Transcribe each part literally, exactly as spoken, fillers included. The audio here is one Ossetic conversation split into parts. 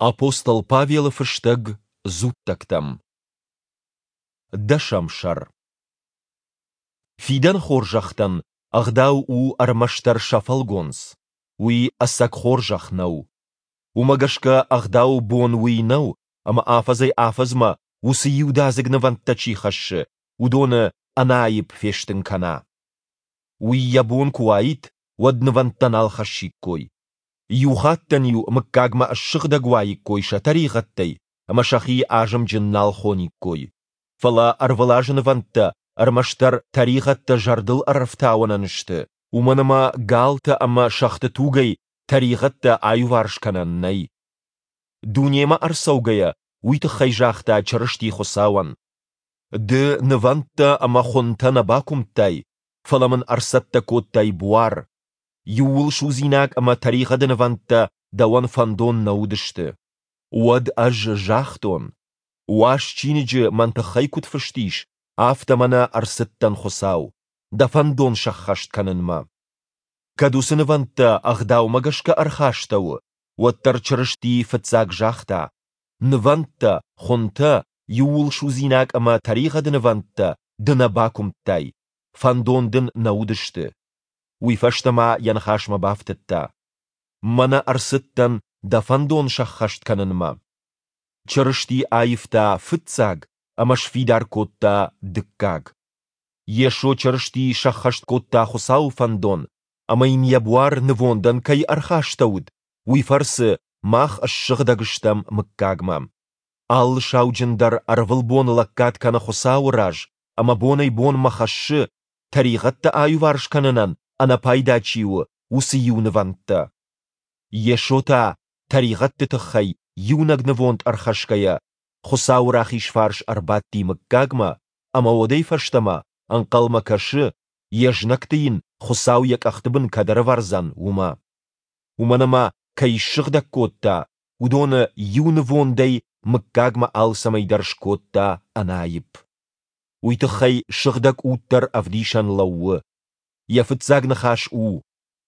Апостол Павелы фыстӕг Дзуттӕгтӕм. Дӕсӕм сӕр. Фидӕны хорзӕхтӕн Ӕгъдау у ӕрмӕстдӕр сӕ фӕлгонц, уый ӕцӕг хорзӕх нӕу. Уымӕ гӕсгӕ Ӕгъдауы бон уый нӕу, ӕмӕ афӕдзӕй-афӕдзмӕ уыцы иудадзыг нывӕндтӕ чи хӕссы, уыдоны ӕнӕаипп фестын кӕна. Уый йӕ бон куы уаид, уӕд нывӕндтӕ нал хӕссиккой. Иу хаттӕн-иу мыггагмӕ ссыгъдӕг уаиккой сӕ тӕригъӕдтӕй ӕмӕ сӕхи азымджын нал хониккой. Фӕлӕ ӕрвылазы нывӕндтӕ ӕрмӕстдӕр тӕригъӕдтӕ зӕрдыл ӕрӕфтауынӕн сты, уымӕн ӕмӕ галтӕ ӕмӕ сӕгъты тугӕй тӕригъӕдтӕ аиуварс кӕнӕн нӕй. Дунемӕ ӕрцӕугӕйӕ, уый тыххӕй загъта Чырысти Хуыцауӕн: Ды нывӕндтӕ ӕмӕ хуынтӕ нӕ бакуымдтай, фӕлӕ мын ӕрцӕттӕ кодтай буар. Иууылсудзинаг ӕмӕ тӕригъӕды нывӕндтӕ дӕуӕн фӕндон нӕ уыдысты. Уӕд ӕз загътон: Уаз чиныджы мӕн тыххӕй куыд фыст ис, афтӕ мӕнӕ ӕрцыдтӕн, Хуыцау, дӕ фӕндон сӕххӕст кӕнынмӕ. Кӕд уыцы нывӕндтӕ Ӕгъдаумӕ гӕсгӕ ӕрхастӕуы, уӕддӕр Чырысти фыццаг загъта: Нывӕндтӕ, хуынтӕ, иууылсудзинаг ӕмӕ тӕригъӕды нывӕндтӕ ды нӕ бакуымдтай, фӕндон дын нӕ уыдысты. Уый фӕстӕ ма йӕ ныхасмӕ бафтыдта: Мӕнӕ ӕрцыдтӕн дӕ фӕндон сӕххӕст кӕнынмӕ. Чырысти аивта фыццаг ӕмӕ сфидар кодта дыккаг. Йесо Чырысти сӕххӕст кодта Хуыцауы фӕндон, ӕмӕ йын йӕ буар нывондӕн кӕй ӕрхастӕуыд, уый фӕрцы мах ссыгъдӕг стӕм мыггагмӕ. Алы сауджын дӕр ӕрвылбон лӕггад кӕны Хуыцауы раз ӕмӕ бонӕй-бонмӕ хӕссы, тӕригъӕдтӕ аиуварс кӕнынӕн ӕнӕпайда чи у, уыцы иу нывӕндтӕ. Йесо та, тӕригъӕдты тыххӕй иунӕг нывонд ӕрхӕсгӕйӕ, Хуыцауы рахиз фарс ӕрбадти мыггагмӕ, ӕмӕ уӕдӕй фӕстӕмӕ ӕнхъӕлмӕ кӕсы, йе знӕгты йын Хуыцау йӕ къӕхты бын кӕд ӕрӕвӕрдзӕн, уымӕ. Уымӕн ӕмӕ, кӕй ссыгъдӕг кодта, уыдоны иу нывондӕй мыггагмӕ алцӕмӕй дӕр скодта ӕнаипп. Уый тыххӕй Сыгъдӕг Уд дӕр ӕвдисӕн лӕууы. Йӕ фыццаг ныхас у: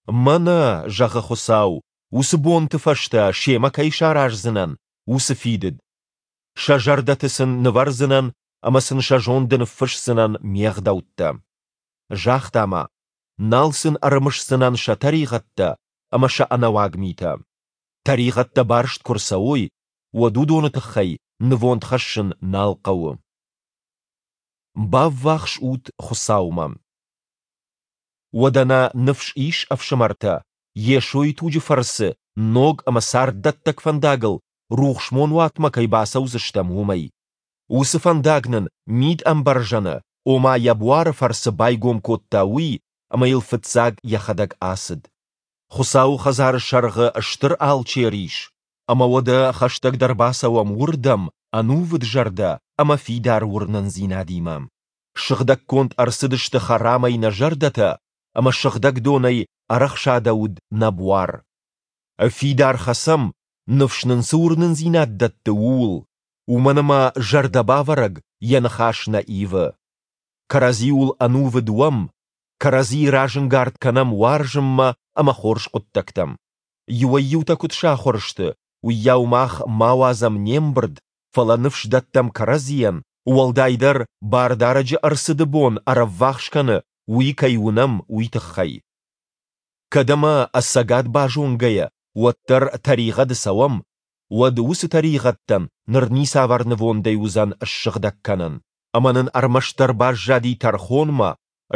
Мӕнӕ, зӕгъы Хуыцау, уыцы бонты фӕстӕ семӕ кӕй сараздзынӕн, уыцы фидыд. Сӕ зӕрдӕты сын нывӕрдзынӕн ӕмӕ сын сӕ зонды ныффысдзынӕн ме гъдӕуттӕ. Загъта ма: нал сын ӕрымысдзынӕн сӕ тӕригъӕдтӕ ӕмӕ сӕ ӕнӕуаг митӕ. Тӕригъӕдтӕ барст куы рцӕуой, уӕд уыдоны тыххӕй нывонд хӕссын нал хъӕуы. Баввахс ут Хуыцаумӕ. Уӕдӕ нӕ ныфс ис, ӕфсымӕртӕ, Йесойы туджы фӕрцы ног ӕмӕ царддӕттӕг фӕндагыл рухсмонуатмӕ кӕй бацӕудзыстӕм, уымӕй. Уыцы фӕндаг нын мид-ӕмбӕрзӕны, ома йӕ буары фӕрцы байгом кодта уый, ӕмӕ йыл фыццаг йӕхӕдӕг ацыд. Хуыцауы хӕдзары сӕргъы стыр алчер ис, ӕмӕ уӕдӕ хӕстӕгдӕр бацӕуӕм уырдӕм ӕнувыд зӕрдӕ ӕмӕ фидар уырнындзинадимӕ. Сыгъдӕггонд ӕрцыдысты хӕрамӕй нӕ зӕрдӕтӕ ӕмӕ сыгъдӕг донӕй ӕрӕхсадӕуыд нӕ буар. Фидар хӕцӕм, ныфс нын цы уырнындзинад дӕтты, ууыл, уымӕн ӕмӕ зӕрдӕбавӕрӕг йӕ ныхас нӕ ивы. Кӕрӕдзиуыл ӕнувыд уӕм, кӕрӕдзийы разӕнгард кӕнӕм уарзынмӕ ӕмӕ хорз хъуыддӕгтӕм. Иуӕй-иутӕ куыд сахуыр сты, уыйау мах ма уадзӕм не мбырд, фӕлӕ ныфс дӕттӕм кӕрӕдзийӕн, уӕлдайдӕр Бардарӕджы ӕрцыды бон ӕрӕввахс кӕны, уый кӕй уынӕм, уый тыххӕй. Кӕд ӕмӕ ӕцӕгад базонгӕйӕ, уӕддӕр тӕригъӕды цӕуӕм, уӕд уыцы тӕригъӕдтӕн ныр ницавӕр нывондӕй уыдзӕн ссыгъдӕг кӕнӕн. Ӕмӕ нын ӕрмӕстдӕр баззади тӕрхонмӕ,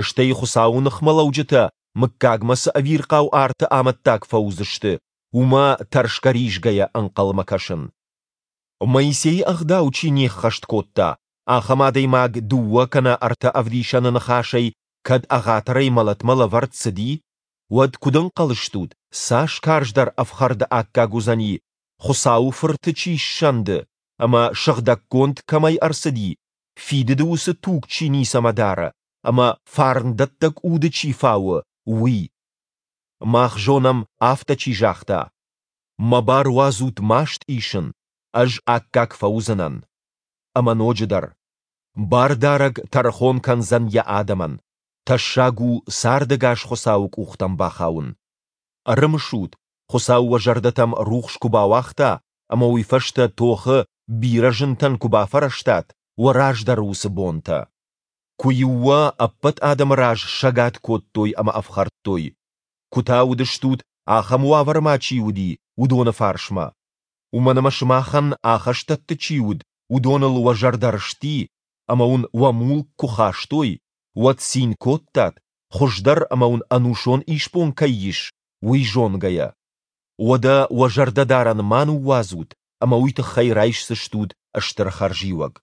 стӕй Хуыцауы ныхмӕлӕуджытӕ мыггагмӕ цы ӕвирхъау арты амӕттаг фӕуыдзысты, уымӕ тӕрсгӕ-ризгӕйӕ ӕнхъӕлмӕ кӕсын. Моисейы ӕгъдау чи не ххӕст кодта, ахӕм адӕймаг дыууӕ кӕнӕ ӕртӕ ӕвдисӕны ныхасӕй кӕд ӕгъатырӕй мӕлӕтмӕ лӕвӕрд цыди, уӕд куыд ӕнхъӕл стут, цас карздӕр ӕфхӕрды аккаг уыдзӕни, Хуыцауы Фырты чи ссӕнды ӕмӕ сыгъдӕггонд кӕмӕй ӕрцыди, фидыды уыцы туг чи ницӕмӕ дары ӕмӕ фарндӕттӕг уды чи фауы, уый? Мах зонӕм, афтӕ чи загъта: Мӕ бар уадзут маст исын, ӕз аккаг фӕуыдзынӕн. Ӕмӕ ноджыдӕр: Бардарӕг тӕрхон кӕндзӕн йӕ адӕмӕн. Тӕссаг у цардӕгас Хуыцауы къухтӕм бахауын. Ӕрымысут, Хуыцау уӕ зӕрдӕтӕм рухс куы бауагъта ӕмӕ уый фӕстӕ тохы бирӕ зынтӕн куы бафӕрӕзтат, уӕ раздӕры уыцы бонтӕ. Куы-иу уӕ ӕппӕт адӕмы раз сӕгад кодтой ӕмӕ ӕфхӕрдтой, куы та уыдыстут, ахӕм уавӕры ма чи уыди, уыдоны фарсмӕ. Уымӕн ӕмӕ сымахӕн ахӕстӕтты чи уыд, уыдоныл уӕ зӕрдӕ рысти, ӕмӕ уын уӕ мулк куы хастой, уӕд цин кодтат, хуыздӕр ӕмӕ уын ӕнусон исбон кӕй ис, уый зонгӕйӕ. Уӕдӕ уӕ зӕрдӕдарӕн ма ныууадзут ӕмӕ уый тыххӕй райсдзыстут стыр хӕрзиуӕг.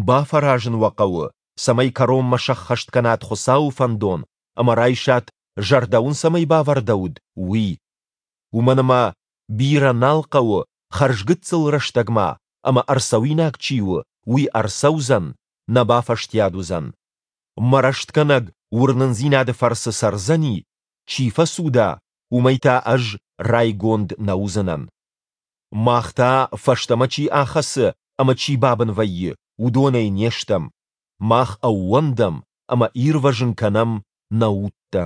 Бафӕразын уӕ хъӕуы, цӕмӕй кӕронмӕ сӕххӕст кӕнат Хуыцауы фӕндон ӕмӕ райсат, зӕрдӕ уын цӕмӕй бавӕрдӕуыд, уый. Уымӕн ӕмӕ бирӕ нал хъӕуы, хӕрзгыццыл рӕстӕг ма, ӕмӕ ӕрцӕуинаг чи у, уый ӕрцӕудзӕн, нӕ бафӕстиат уыдзӕн. Мӕ рӕстгӕнӕг уырнындзинады фӕрцы цӕрдзӕни, чи фӕцуда, уымӕй та ӕз райгонд нӕ уыдзынӕн. Мах та, фӕстӕмӕ чи ахӕцы ӕмӕ чи бабын вӕййы, уыдонӕй не стӕм, мах ӕууӕндӕм ӕмӕ ирвӕзын кӕнӕм нӕ удтӕ.